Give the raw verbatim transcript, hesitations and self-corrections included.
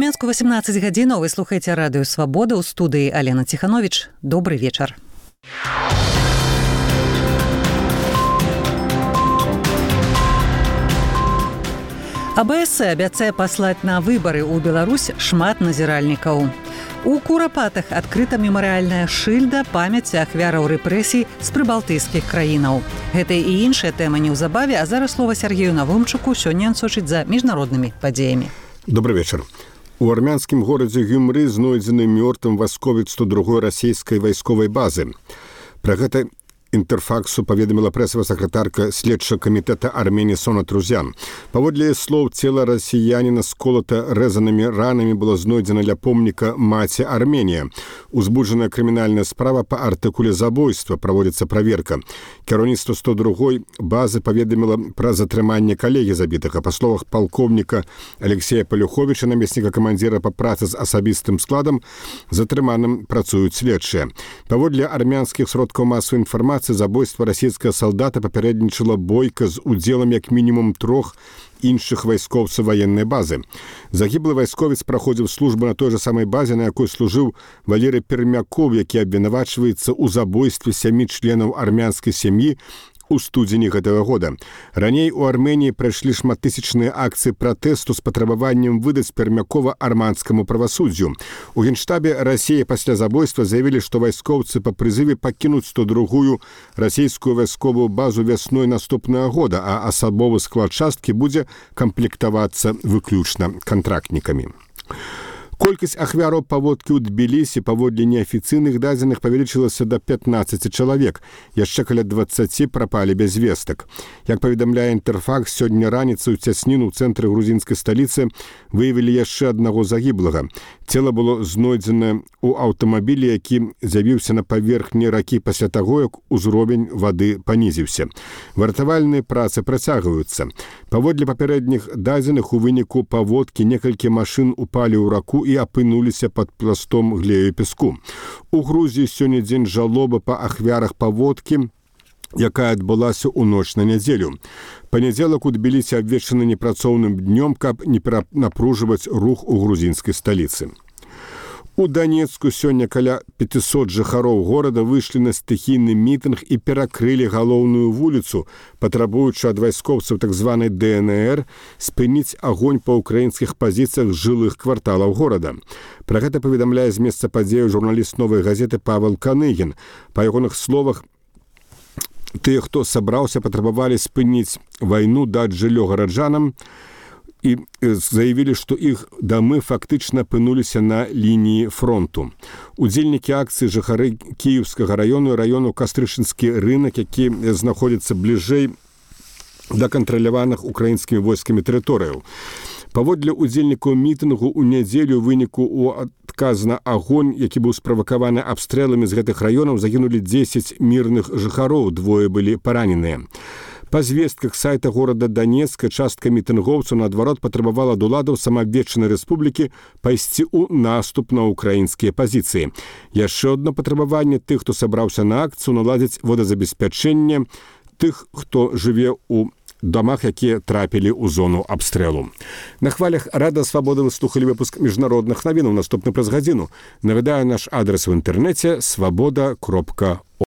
Мінску васемнаццаць гадзінаў. Вы слухаеце радыё «Свабода», у студыі Алена Ціхановіч. Добрый вечар. А Бэ Эс Э абяцае паслаць на выбары ў Беларусь шмат назіральнікаў. У Курапатах адкрыта мемарыяльная шыльда памяці ахвяраў рэпрэсій з прыбалтыйскіх краінаў. Гэта і іншая тэма неўзабаве, а зараз слова Сергею Навумчуку. Сёння ён сочыць за міжнароднымі падзеямі. Добрый вечар. У армянскім горадзе Гюмры знойдзены мёртвым вайсковец сто другой расійскай вайсковай базы. Пра гэта Інтэрфаксу паведаміла прэсавая сакратарка следчага камітэта Арменіі Сона Трузян. Паводле слоў, цела расіяніна сколата рэзанымі ранамі было знойдзена ля помніка маці Арменія. Узбуджаная крымінальная справа па артыкуле забойства, праводзіцца праверка. Кіраўніцтва сто другой базы паведаміла пра затрыманне калегі забітага. Па словах палкоўніка Алексея Палюховіча, намесніка камандзіра па працы з асабістым складам, затрыманым працуюць следчыя. Паводле армянскіх сродкаў масавай інфармацыі, забойства расійскага салдата папярэднічала бойка з удзелам як мінімум трох іншых вайскоўцаў ваеннай базы. Загіблы вайсковец праходзіў службу на той жа самай базе, на якой служыў Валерый Пермяков, які абвінавачваецца ў забойстве сямі членаў армянскай сям'і у студзені гэтага года. Раней у Арменіі прайшлі шматтысячныя акцыі пратэсту з патрабаваннем выдаць Пермякова армянскаму правасуддзю. У Генштабе Расіі пасля забойства заявілі, што вайскоўцы па прызыве пакінуць сто другую расійскую вайсковую базу вясной наступнага года, а асабовы склад часткі будзе камплектавацца выключна кантрактнікамі. Колькасць ахвяраў паводкі ў Тбілісі паводле неафіцыйных дадзеных павялічылася да пятнаццаці чалавек. Яшчэ каля дваццаці прапалі без вестак. Як паведамляе Інтэрфакс, сёння раніцай у цясніну ў цэнтры грузінскай сталіцы выявілі яшчэ аднаго загіблага. Цела было знойдзена ў аўтамабілі, які з'явіўся на паверхні ракі пасля таго, як узровень вады панізіўся. Вартавальныя працы працягваюцца. Паводле папярэдніх дадзеных, у выніку паводкі некалькі машын упалі ў раку і апынуліся пад пластом глею і пяску. У Грузіі сёння дзень жалобы па ахвярах паводкі, якая адбылася ў ноч на нядзелю. Панядзелак у Тбілісі абвешчаны непрацоўным днём, каб не перанапружваць рух у грузінскай сталіцы. У Данецку сёння каля пятьсот жыхароў горада выйшлі на стыхійны мітынг і перакрылі галоўную вуліцу, патрабуючы ад вайскоўцаў так званай Дэ Эн Эр спыніць агонь па ўкраінскіх пазіцыях жылых кварталаў горада. Пра гэта паведамляе з месца падзеяў журналіст «Новай газеты» Павел Каныгін. Па ягоных словах, тыя, хто сабраўся, патрабавалі спыніць вайну, даць жыллё гараджанам, і заявілі, што іх дамы фактычна апынуліся на лініі фронту. Удзельнікі акцыі жыхары Кіеўскага раёну і раёну Кастрычынскі рынак, які знаходзіцца бліжэй да кантраляваных украінскімі войскамі тэрыторыяў. Паводле удзельнікаў мітынгу ў нядзелю ў выніку ў адказ на агонь, які быў справакаваны абстрэламі з гэтых раёнаў, загінулі дзесяць мірных жыхароў, двое былі параненыя. Па звестках сайта горада Данецка частка мітынгоўцаў наадварот патрабавала ад уладаў самаабвешчанай рэспублікі пайсці ў наступ на ўкраінскія пазіцыі. Яшчэ одно патрабаванне тых, хто сабраўся на акцыю, наладзіць водазабеспячэнне тых, хто жыве ў дамах, якія трапілі ў зону абстрэлу. На хвалях Радыё Свабода вы слухалі выпуск міжнародных навінаў. Наступны праз гадзіну. Навідаю наш адрес у інтэрнэце свабода кропка